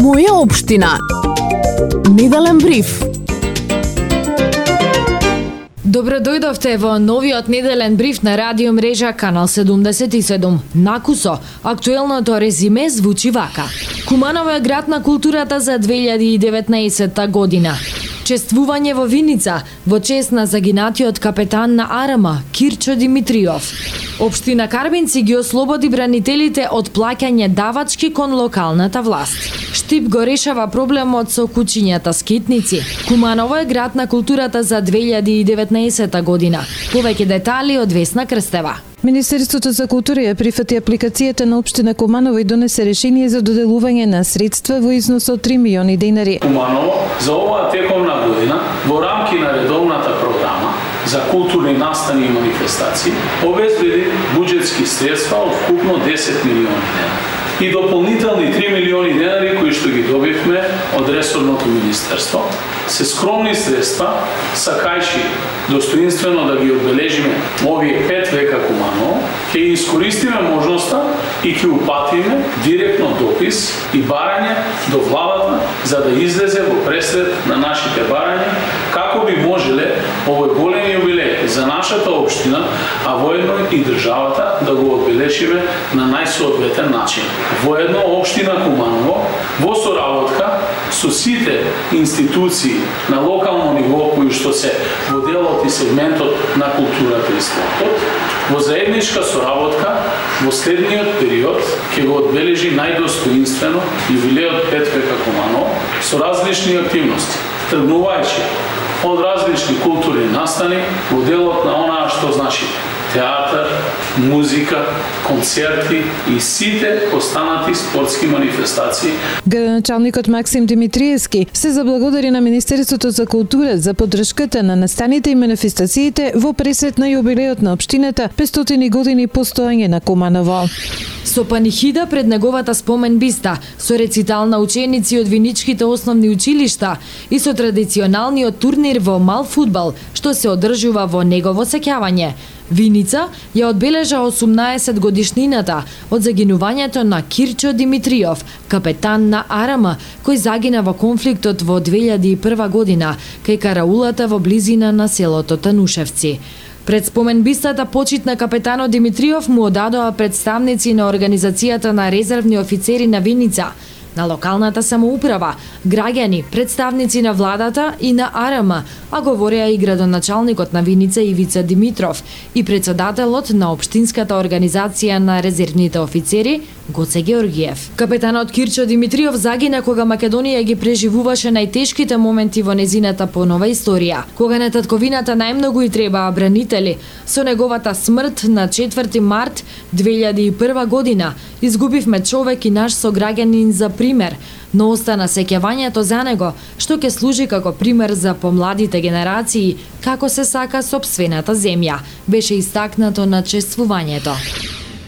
Моја општина. Неделен бриф. Добро дојдовте во новиот неделен бриф на радио мрежа Канал 77. Накусо, актуелното резиме звучи вака. Куманово е град на културата за 2019 година. Чествување во Виница во чест на загинатиот капетан на АРМ Кирчо Димитриов. Општина Карбинци ги ослободи бранителите од плаќање давачки кон локалната власт. Штип го решава проблемот со кучињата скитници. Куманово е град на културата за 2019 година. Повеќе детали од Весна Крстева. Министерството за култура ја прифати апликацијата на општина Куманово и донесе решение за доделување на средства во износ од 3 милиони денари. Куманово за оваа тековна година во рамки на редовната програма за културни настани и манифестации обезбеди буџетски средства од вкупно 10 милиони денари и дополнителни 3 милиони денари кои што ги добивме од ресорното министерство. Се скромни средства, сакајќи достоинствено да ги одбележиме овие 5 века Куманово, ќе искористиме можноста и ќе упатиме директно допис и барање до владата за да излезе во пресред на нашите барања како би можеле овој голем јубилеј за нашата општина, а воедно и државата да го одбележиме на најсоодветен начин. Воедно општина Куманово во соработка со сите институции на локално ниво кои што се во делот и сегментот на културата и спортот, во заедничка соработка во следниот период ќе го одбележи најдостоинствено јубилејот 5 века Куманово со различни активности, тргнувајќи од различни културни настани во делот на онаа што значи театар, музика, концерти и сите останати спортски манифестации. Градоначалникот Максим Димитриевски се заблагодари на Министерството за култура за поддршката на настаните и манифестациите во пресрет на јубилејот на општината 500 години постоење на Куманово. Со панихида пред неговата спомен биста, со рецитал на ученици од виничките основни училишта и со традиционалниот турнир во мал фудбал, што се одржува во негово сеќавање. Виница ја одбележа 18 годишнината од загинувањето на Кирчо Димитриов, капетан на АРМ, кој загина во конфликтот во 2001 година кај караулата во близина на селото Танушевци. Пред споменбистата почит на капетанот Димитриов му одадоа представници на Организацијата на резервни офицери на Виница, на локалната самоуправа, граѓани, представници на владата и на АРМ, а говореа и градоначалникот на Виница Ивица Димитров и председателот на Општинската организација на резервните офицери Гоце Георгиев. Капетанот Кирчо Димитриов загина кога Македонија ги преживуваше најтешките моменти во незината понова историја, кога на татковината најмногу и требаа бранители. Со неговата смрт на 4 март 2001 година изгубивме човек и наш сограѓанин за пример, но остана сеќавањето за него, што ќе служи како пример за помладите генерации како се сака сопствената земја, беше истакнато на чествувањето.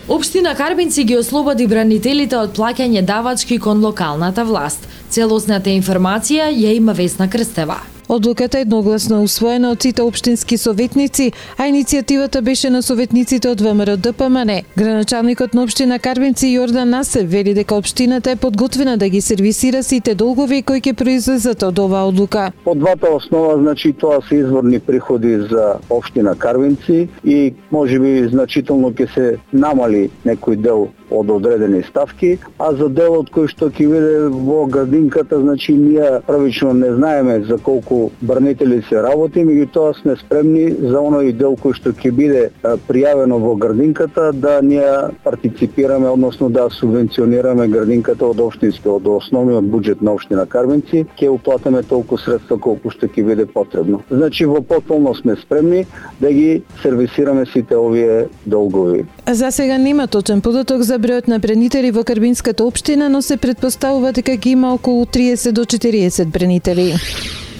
Општина Карбинци ги ослободи бранителите од плаќање давачки кон локалната власт. Целосната информација ја има Весна Крстева. Одлуката е едногласно усвоена од сите општински советници, а иницијативата беше на советниците од ВМРО ДПМН. Градоначалникот на општина Карбинци Јордан Насев вели дека општината е подготвена да ги сервисира сите долгови кои ќе произлезат од оваа одлука. По двата основа, значи тоа се изворни приходи за општина Карбинци и можеби значително ќе се намали некој дел од одредени ставки, а за делот кој што ќе биде во градинката, значи ние првично не знаеме за колку бранители се работи, меѓутоа сме спремни за оној дел кој што ќе биде пријавено во градинката да ние партиципираме, односно да субвенционираме градинката од општинскиот, од основниот буџет на општина Карбинци, ќе уплатиме толку средства колку што ќе биде потребно. Значи во потполно сме спремни да ги сервисираме сите овие долгови. За сега нема точен податок за бројот на бранители во Карбинската општина, но се предпоставува дека ги има околу 30 до 40 бранители.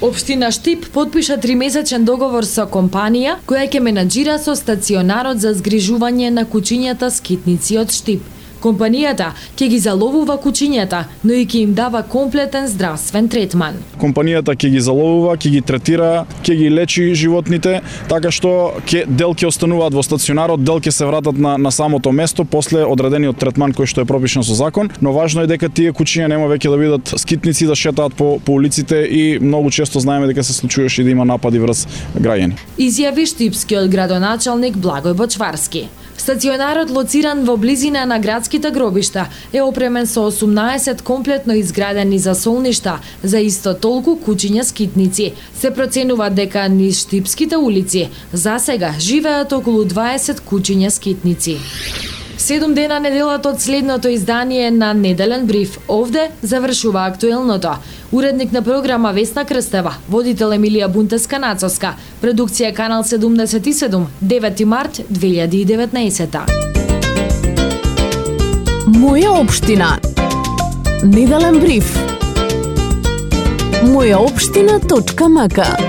Општина Штип подпиша 3-месечен договор со компанија која ќе менаџира со стационарот за згрижување на кучињата скитници од Штип. Компанијата ќе ги заловува кучињата, но и ќе им дава комплетен здравствен третман. Компанијата ќе ги заловува, ќе ги третира, ќе ги лечи животните, така што дел ќе остануваат во стационарот, дел ќе се вратат на самото место после одредениот третман кој што е пропишан со закон, но важно е дека тие кучиња нема веќе да бидат скитници да шетаат по улиците и многу често знаеме дека се случуваше да има напади врз граѓани. Изјави штипскиот градоначалник Благој Бочварски. Стационарот, лоциран во близина на градските гробишта, е опремен со 18 комплетно изградени засолништа за исто толку кучиња скитници. Се проценува дека низ штипските улици засега живеат околу 20 кучиња скитници. 7 дена неделата од следното издание на Неделен бриф. Овде завршува актуелното. Уредник на програма Весна Крстева, водител Емилија Бунтеска-Нацовска, продукција Канал 77, 9 март 2019. Моја општина. Неделен бриф. Мојаопштина.мк